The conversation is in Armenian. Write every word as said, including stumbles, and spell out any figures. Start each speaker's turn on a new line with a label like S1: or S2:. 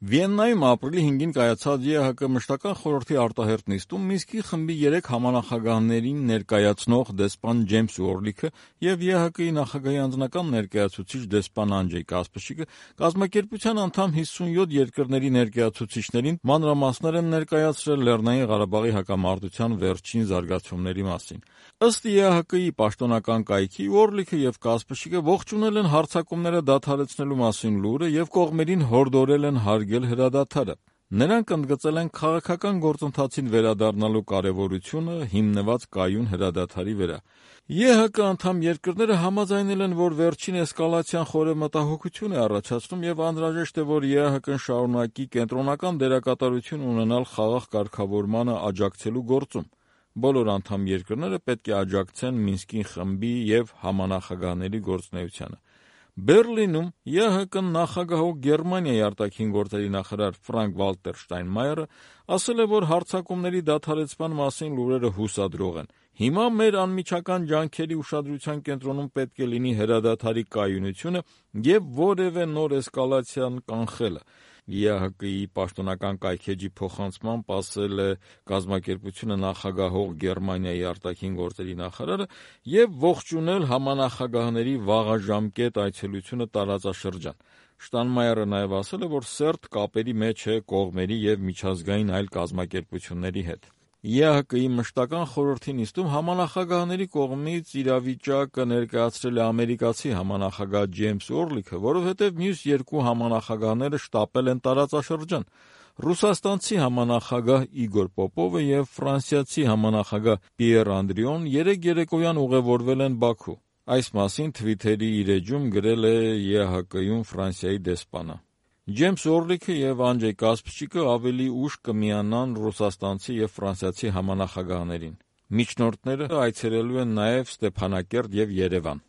S1: Վիեննայում ապրիլի հինգին կայացած Է Հ Կ մշտական խորհրդի արտահերթ նիստում Մինսկի խմբի երեք համանախագահներին ներկայացնող դեսպան Ջեյմս Ուորլիքը և Է Հ Կ-ի նախագահի անձնական ներկայացուցիչ դեսպան Անդրեյ Կասպրչիկը կազմակերպության անդամ հիսունյոթ երկրների ներկայացուցիչներին մանրամասներ են ներկայացրել Լեռնային Ղարաբաղի հակամարտության վերջին զարգացումների մասին։ Ըստ Է Հ Կ-ի պաշտոնական կայքի Ուորլիքը և Կասպրչիկը ողջունել են հարձակումները դադարեցնելու մասին լուրը և կողմերին հորդորել են հարգել հրադադարը։ Նրանք ընդգծել են քաղաքական գործընթացին վերադառնալու կարևորությունը հիմնված կայուն հրադադարի վրա։ Է Հ Կ անդամ երկրները համաձայնել են, որ վերջին էսկալացիան խորը մտահոգություն է առաջացնում և անհրաժեշտ է, որ Է Հ Կ-ն շարունակի կենտրոնական դերակատարություն ունենալ խաղաղ կարգավորմանը աջակցելու գործում։ Բոլոր անդամ երկրները պետք է աջակցեն Մինսկի խմբի և համանախագահների գործունեությանը։ Բեռլինում Է Հ Կ-ն նախագահող Գերմանիայի արտաքին գործերի նախարար Ֆրանկ Վալտեր Շտայնմայերը ասել է, որ հարձակումների դադարեցման մասին լուրերը հուսադրող են։ Հիմա մեր անմիջական ջանքերի ուշադրության կենտրոնում պետք է լինի հրադադարի կայունությունը և որևէ նոր էսկալացիան կանխելը։ Է Հ Կ-ի պաշտոնական կայքէջի փոխանցմամբ ասել է կազմակերպությունը նախագահող Գերմանիայի արտաքին գործերի նախարարը և ողջունել համանախագահների վաղաժամկետ այցելությունը տարածաշրջան։ Շտայնմայերը նաև ասել է, որ սերտ կապերի մեջ է կողմերի և միջազգային այլ կազմակերպությունների հետ։ Է Հ Կ-ի մշտական խորհրդի նիստում համանախագահների կողմից իրավիճակը ներկայացրել է ամերիկացի համանախագահ Ջեյմս Ուորլիքը, որովհետև մյուս երկու համանախագահները շտապել են տարածաշրջան։ Ռուսաստանցի համանախագահ Իգոր Պոպովը և ֆրանսիացի համանախագահ Պիեր Անդրիոն երեկ երեկոյան ուղևորվել են Բաքու։ Այս մասին Թվիթերի իր էջում գրել է Է Հ Կ-ում Ֆրանսիայի դեսպանը։ Ջեյմս Ուորլիքը և Անդրեյ Կասպրչիկը ավելի ուշ կմիանան ռուսաստանցի և ֆրանսիացի համանախագահներին։ Միջնորդները այցելելու են նաև Ստեփանակերտ և Երևան։